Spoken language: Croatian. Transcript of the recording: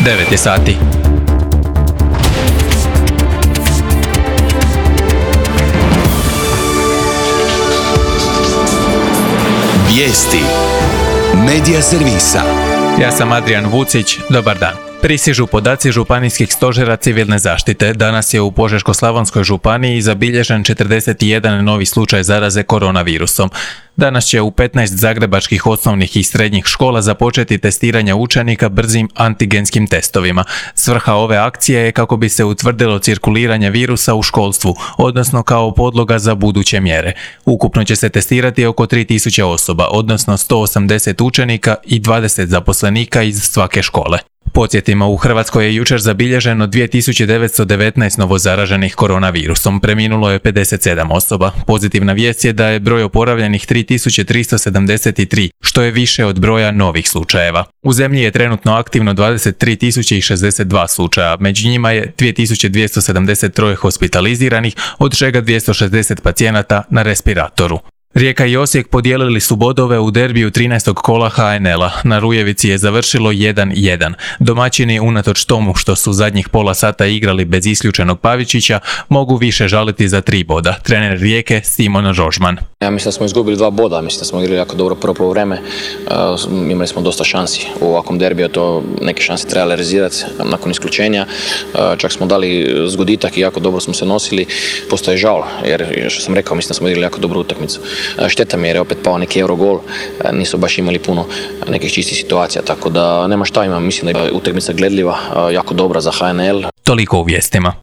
9 je sati. Vijesti Medija servisa. Ja sam Adrian Vucić, dobar dan. Pristižu podaci županijskih stožera civilne zaštite. Danas je u Požeško-slavonskoj županiji zabilježen 41 novi slučaj zaraze koronavirusom. Danas će u 15 zagrebačkih osnovnih i srednjih škola započeti testiranje učenika brzim antigenskim testovima. Svrha ove akcije je kako bi se utvrdilo cirkuliranje virusa u školstvu, odnosno kao podloga za buduće mjere. Ukupno će se testirati oko 3000 osoba, odnosno 180 učenika i 20 zaposlenika iz svake škole. Podsjetimo, u Hrvatskoj je jučer zabilježeno 2919 novozaraženih koronavirusom, preminulo je 57 osoba. Pozitivna vijest je da je broj oporavljenih 3373, što je više od broja novih slučajeva. U zemlji je trenutno aktivno 23.062 slučaja, među njima je 2273 hospitaliziranih, od čega 260 pacijenata na respiratoru. Rijeka i Osijek podijelili su bodove u derbiju 13. kola HNL-a. Na Rujevici je završilo 1:1. Domaćini, unatoč tomu što su zadnjih pola sata igrali bez isključenog Pavičića, mogu više žaliti za 3 boda. Trener Rijeke Simon Rožman. Ja mislim da smo izgubili 2 boda, mislim da smo igrali jako dobro prvo poluvreme. Imali smo dosta šansi u ovakvom derbiju, to neke šanse treba realizirati nakon isključenja. Čak smo dali zgoditak i jako dobro smo se nosili. Postoje žal, jer što sam rekao, mislim da smo igrali jako dobru utakmicu. Šteta mi jer je opet pao neki Eurogol, nisu baš imali puno nekih čistih situacija, tako da nema šta, mislim da je utakmica gledljiva, jako dobra za HNL. Toliko u vijestima.